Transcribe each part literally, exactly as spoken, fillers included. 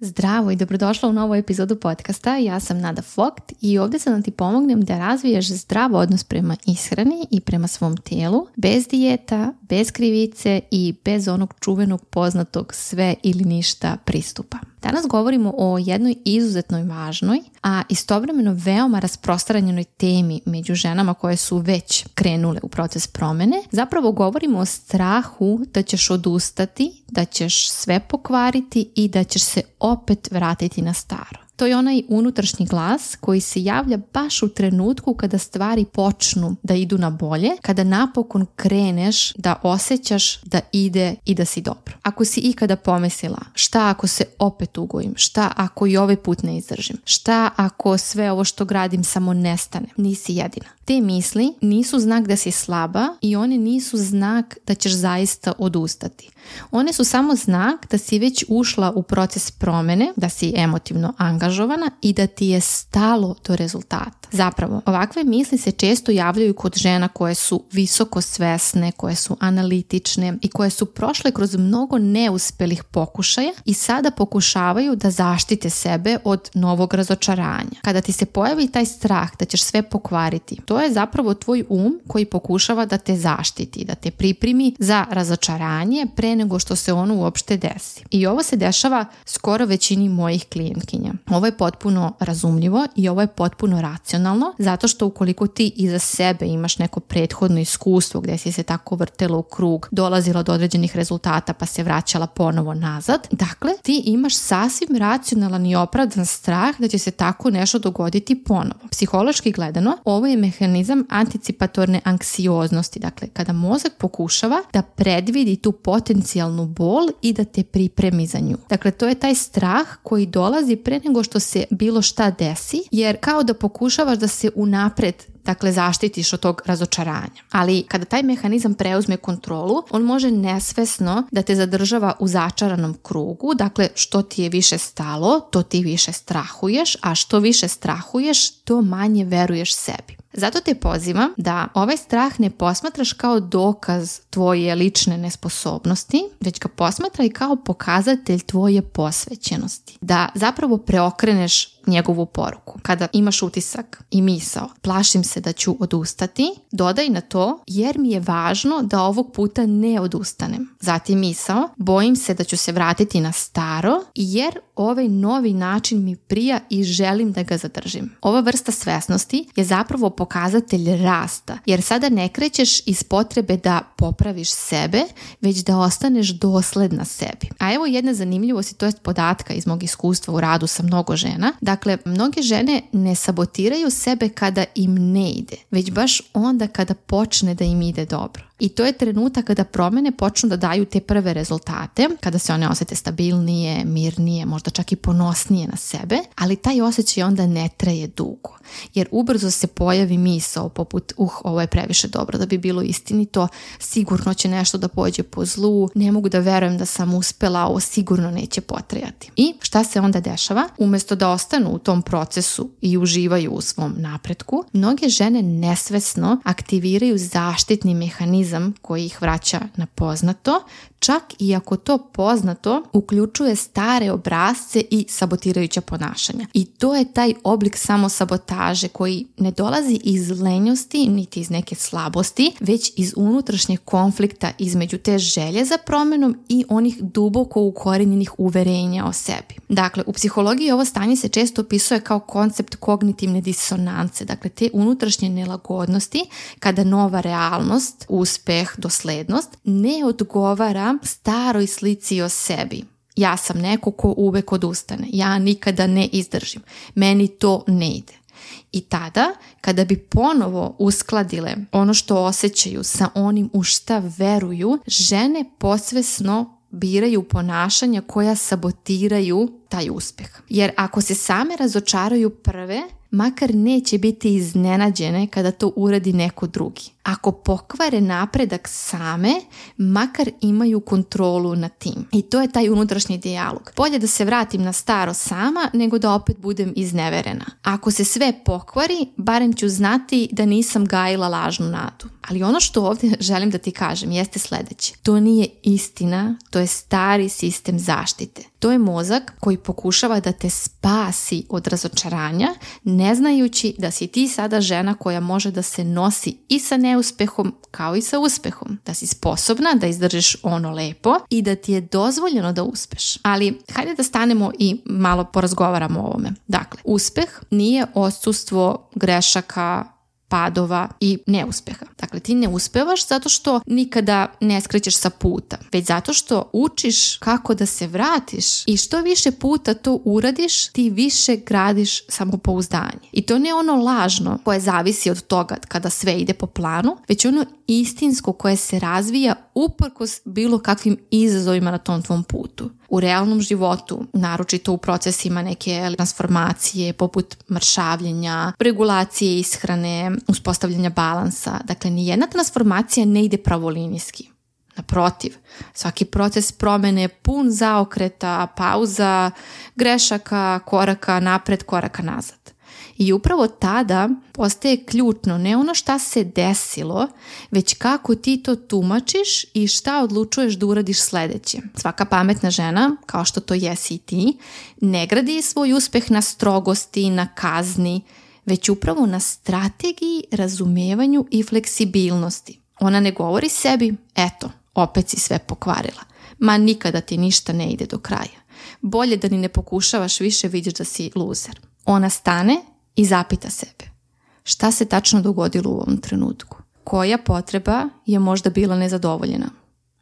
Zdravo i dobrodošla u novu epizodu podcasta. Ja sam Nada Vogt i ovdje sam da ti pomognem da razviješ zdrav odnos prema ishrani i prema svom tijelu, bez dijeta, bez krivice i bez onog čuvenog poznatog sve ili ništa pristupa. Danas govorimo o jednoj izuzetnoj važnoj, a istovremeno veoma rasprostranjenoj temi među ženama koje su već krenule u proces promjene. Zapravo govorimo o strahu da ćeš odustati, da ćeš sve pokvariti i da ćeš se opet vratiti na staro. To je onaj unutrašnji glas koji se javlja baš u trenutku kada stvari počnu da idu na bolje, kada napokon kreneš da osjećaš da ide i da si dobro. Ako si ikada pomislila šta ako se opet ugojim, šta ako i ovaj put ne izdržim, šta ako sve ovo što gradim samo nestane, nisi jedina. Te misli nisu znak da si slaba i one nisu znak da ćeš zaista odustati. One su samo znak da si već ušla u proces promjene, da si emotivno angažovana i da ti je stalo do rezultata. Zapravo, ovakve misli se često javljaju kod žena koje su visoko svesne, koje su analitične i koje su prošle kroz mnogo neuspelih pokušaja i sada pokušavaju da zaštite sebe od novog razočaranja. Kada ti se pojavi taj strah da ćeš sve pokvariti, to je zapravo tvoj um koji pokušava da te zaštiti, da te pripremi za razočaranje pre nego što se ono uopšte desi. I ovo se dešava skoro većini mojih klijentkinja. Ovo je potpuno razumljivo i ovo je potpuno racionalno, zato što ukoliko ti iza sebe imaš neko prethodno iskustvo gdje si se tako vrtela u krug, dolazila do određenih rezultata pa se vraćala ponovo nazad, dakle ti imaš sasvim racionalan i opravdan strah da će se tako nešto dogoditi ponovo. Psihološki gledano, ovo je mehanizam anticipatorne anksioznosti, dakle kada mozak pokušava da predvidi tu potencijalnu bol i da te pripremi za nju. Dakle, to je taj strah koji dolazi pre nego što se bilo šta desi, jer kao da pokušavaš da se unapred dakle zaštitiš od tog razočaranja. Ali kada taj mehanizam preuzme kontrolu, on može nesvesno da te zadržava u začaranom krugu, dakle što ti je više stalo, to ti više strahuješ, a što više strahuješ, to manje veruješ sebi. Zato te pozivam da ovaj strah ne posmatraš kao dokaz tvoje lične nesposobnosti, već ga posmatraj kao pokazatelj tvoje posvećenosti. Da zapravo preokreneš njegovu poruku. Kada imaš utisak i misao, plašim se da ću odustati, dodaj na to jer mi je važno da ovog puta ne odustanem. Zatim misao, bojim se da ću se vratiti na staro jer ovaj novi način mi prija i želim da ga zadržim. Ova vrsta svesnosti je zapravo pokazatelj rasta, jer sada ne krećeš iz potrebe da popraviš sebe, već da ostaneš dosledna sebi. A evo jedna zanimljivost, to jest podatka iz mog iskustva u radu sa mnogo žena. Dakle, mnoge žene ne sabotiraju sebe kada im ne ide, već baš onda kada počne da im ide dobro. I to je trenutak kada promjene počnu da daju te prve rezultate, kada se one osjete stabilnije, mirnije, možda čak i ponosnije na sebe, ali taj osjećaj onda ne traje dugo. Jer ubrzo se pojavi misao poput, uh, ovo je previše dobro da bi bilo istinito, sigurno će nešto da pođe po zlu, ne mogu da verujem da sam uspela, ovo sigurno neće potrajati. I šta se onda dešava? Umjesto da ostanu u tom procesu i uživaju u svom napretku, mnoge žene nesvesno aktiviraju zaštitni mehanizam koji ih vraća na poznato, čak i ako to poznato uključuje stare obrasce i sabotirajuća ponašanja. I to je taj oblik samosabotaže koji ne dolazi iz lenjosti niti iz neke slabosti, već iz unutrašnjeg konflikta između te želje za promjenom i onih duboko ukorenjenih uverenja o sebi. Dakle, u psihologiji ovo stanje se često opisuje kao koncept kognitivne disonance, dakle te unutrašnje nelagodnosti kada nova realnost, uspeh, doslednost ne odgovara staroj slici o sebi. Ja sam neko ko uvek odustane, ja nikada ne izdržim, meni to ne ide. I tada, kada bi ponovo uskladile ono što osjećaju sa onim u šta veruju, žene posvesno biraju ponašanja koja sabotiraju taj uspeh. Jer ako se same razočaraju prve, makar neće biti iznenađene kada to uradi neko drugi. Ako pokvare napredak same, makar imaju kontrolu nad tim. I to je taj unutrašnji dijalog. Bolje da se vratim na staro sama, nego da opet budem izneverena. Ako se sve pokvari, barem ću znati da nisam gajila lažnu nadu. Ali ono što ovdje želim da ti kažem jeste sljedeće. To nije istina, to je stari sistem zaštite. To je mozak koji pokušava da te spasi od razočaranja, ne znajući da si ti sada žena koja može da se nosi i sa neuspehom kao i sa uspehom. Da si sposobna da izdržiš ono lepo i da ti je dozvoljeno da uspeš. Ali hajde da stanemo i malo porazgovaramo o ovome. Dakle, uspeh nije odsustvo grešaka, padova i neuspeha. Dakle, ti ne uspevaš zato što nikada ne skrećeš sa puta, već zato što učiš kako da se vratiš i što više puta to uradiš, ti više gradiš samopouzdanje. I to ne ono lažno koje zavisi od toga kada sve ide po planu, već ono istinsko koje se razvija uprkos bilo kakvim izazovima na tom tvom putu. U realnom životu, naročito u procesima neke transformacije poput mršavljenja, regulacije ishrane, uspostavljanja balansa. Dakle, nijedna transformacija ne ide pravolinijski. Naprotiv, svaki proces promene je pun zaokreta, pauza, grešaka, koraka napred, koraka nazad. I upravo tada postaje ključno ne ono šta se desilo, već kako ti to tumačiš i šta odlučuješ da uradiš sledeće. Svaka pametna žena, kao što to jesi i ti, ne gradi svoj uspeh na strogosti, na kazni, već upravo na strategiji, razumevanju i fleksibilnosti. Ona ne govori sebi, eto, opet si sve pokvarila. Ma nikada ti ništa ne ide do kraja. Bolje da ni ne pokušavaš više, vidiš da si luzer. Ona stane i zapita sebe. Šta se tačno dogodilo u ovom trenutku? Koja potreba je možda bila nezadovoljena?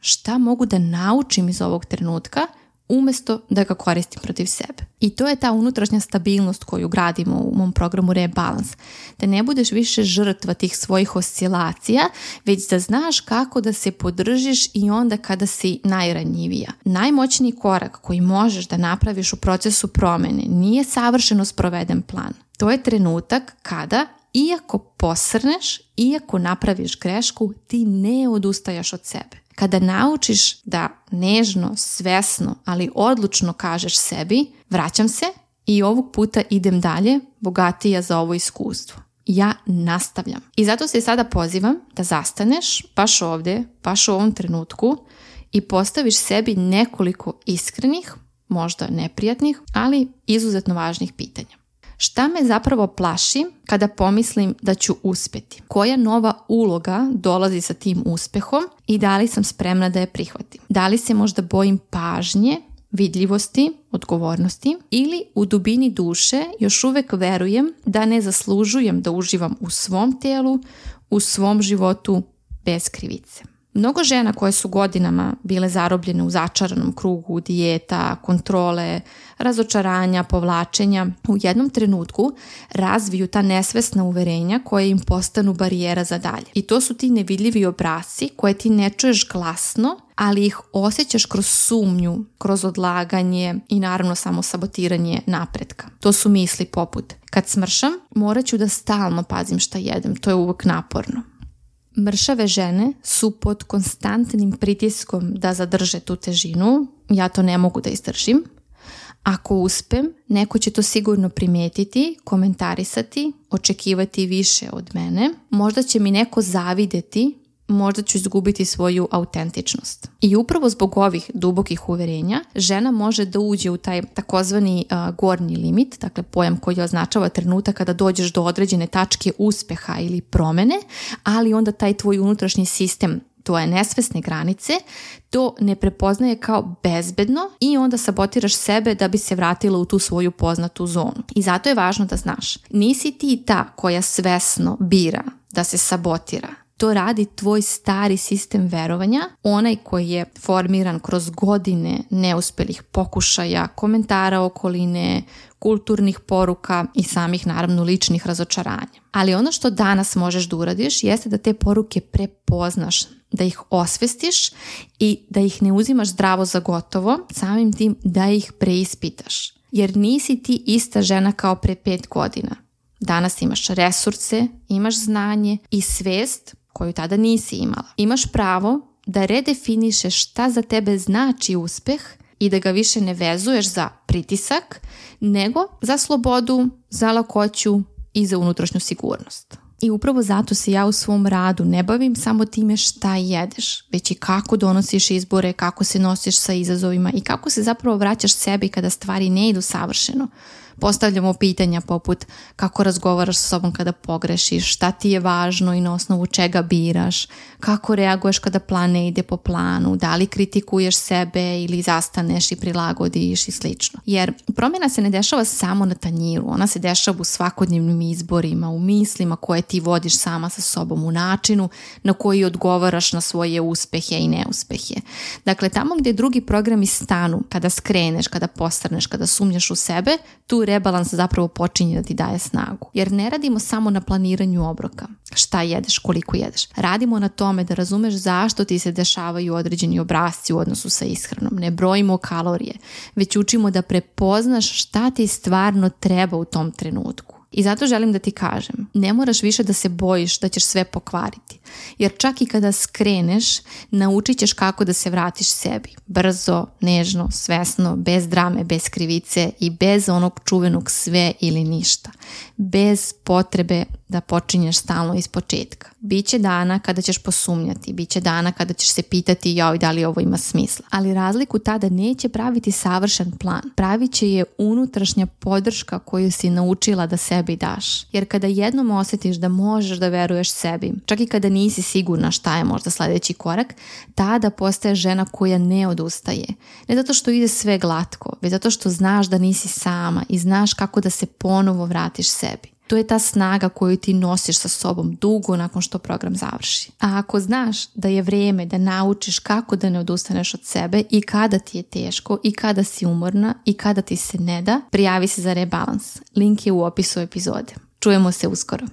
Šta mogu da naučim iz ovog trenutka umjesto da ga koristim protiv sebe? I to je ta unutrašnja stabilnost koju gradimo u mom programu Rebalans. Da ne budeš više žrtva tih svojih oscilacija, već da znaš kako da se podržiš i onda kada si najranjivija. Najmoćniji korak koji možeš da napraviš u procesu promene nije savršeno sproveden plan. To je trenutak kada, iako posrneš, iako napraviš grešku, ti ne odustajaš od sebe. Kada naučiš da nežno, svesno, ali odlučno kažeš sebi, vraćam se i ovog puta idem dalje, bogatija za ovo iskustvo. Ja nastavljam. I zato se sada pozivam da zastaneš baš ovdje, baš u ovom trenutku i postaviš sebi nekoliko iskrenih, možda neprijatnih, ali izuzetno važnih pitanja. Šta me zapravo plaši kada pomislim da ću uspjeti? Koja nova uloga dolazi sa tim uspehom i da li sam spremna da je prihvatim? Da li se možda bojim pažnje, vidljivosti, odgovornosti ili u dubini duše još uvek verujem da ne zaslužujem da uživam u svom telu, u svom životu bez krivice? Mnogo žena koje su godinama bile zarobljene u začaranom krugu dijeta, kontrole, razočaranja, povlačenja, u jednom trenutku razviju ta nesvesna uverenja koje im postanu barijera za dalje. I to su ti nevidljivi obrasci koje ti ne čuješ glasno, ali ih osjećaš kroz sumnju, kroz odlaganje i naravno samo sabotiranje napretka. To su misli poput: kad smršam, morat ću da stalno pazim šta jedem, to je uvijek naporno. Mršave žene su pod konstantnim pritiskom da zadrže tu težinu, ja to ne mogu da izdržim. Ako uspem, neko će to sigurno primijetiti, komentarisati, očekivati više od mene. Možda će mi neko zavideti, možda ću izgubiti svoju autentičnost. I upravo zbog ovih dubokih uverenja, žena može da uđe u taj takozvani uh, gornji limit, dakle pojam koji označava trenutak kada dođeš do određene tačke uspeha ili promene, ali onda taj tvoj unutrašnji sistem, to je nesvesne granice, to ne prepoznaje kao bezbedno i onda sabotiraš sebe da bi se vratila u tu svoju poznatu zonu. I zato je važno da znaš, nisi ti ta koja svesno bira da se sabotira. To radi tvoj stari sistem verovanja, onaj koji je formiran kroz godine neuspelih pokušaja, komentara okoline, kulturnih poruka i samih naravno ličnih razočaranja. Ali ono što danas možeš da uradiš jeste da te poruke prepoznaš, da ih osvestiš i da ih ne uzimaš zdravo za gotovo, samim tim da ih preispitaš. Jer nisi ti ista žena kao pre pet godina. Danas imaš resurse, imaš znanje i svest koju tada nisi imala. Imaš pravo da redefinišeš šta za tebe znači uspeh i da ga više ne vezuješ za pritisak, nego za slobodu, za lakoću i za unutrašnju sigurnost. I upravo zato se ja u svom radu ne bavim samo time šta jedeš, već i kako donosiš izbore, kako se nosiš sa izazovima i kako se zapravo vraćaš sebi kada stvari ne idu savršeno. Postavljamo pitanja poput kako razgovaraš sa sobom kada pogrešiš, šta ti je važno i na osnovu čega biraš, kako reaguješ kada plan ne ide po planu, da li kritikuješ sebe ili zastaneš i prilagodiš i slično. Jer promjena se ne dešava samo na tanjiru, ona se dešava u svakodnevnim izborima, u mislima koje ti vodiš sama sa sobom, u načinu na koji odgovaraš na svoje uspehe i neuspehe. Dakle, tamo gdje drugi programi stanu, kada skreneš, kada postrneš, kada sumnjaš u sebe, tu rebalans zapravo počinje da ti daje snagu. Jer ne radimo samo na planiranju obroka, šta jedeš, koliko jedeš. Radimo na tome da razumeš zašto ti se dešavaju određeni obrasci u odnosu sa ishranom. Ne brojimo kalorije, već učimo da prepoznaš šta ti stvarno treba u tom trenutku. I zato želim da ti kažem, ne moraš više da se bojiš da ćeš sve pokvariti. Jer čak i kada skreneš, naučit ćeš kako da se vratiš sebi. Brzo, nežno, svesno, bez drame, bez krivice i bez onog čuvenog sve ili ništa. Bez potrebe da počinješ stalno iz početka. Biće dana kada ćeš posumnjati, biće dana kada ćeš se pitati joj da li ovo ima smisla. Ali razliku tada neće praviti savršen plan. Pravit će je unutrašnja podrška koju si naučila da sebi daš. Jer kada jednom osjetiš da možeš da veruješ sebi, čak i kada nisi sigurna šta je možda sljedeći korak, tada postaješ žena koja ne odustaje. Ne zato što ide sve glatko, već zato što znaš da nisi sama i znaš kako da se ponovo vratiš sebi. To je ta snaga koju ti nosiš sa sobom dugo nakon što program završi. A ako znaš da je vrijeme da naučiš kako da ne odustaneš od sebe i kada ti je teško i kada si umorna i kada ti se ne da, prijavi se za rebalans. Link je u opisu epizode. Čujemo se uskoro.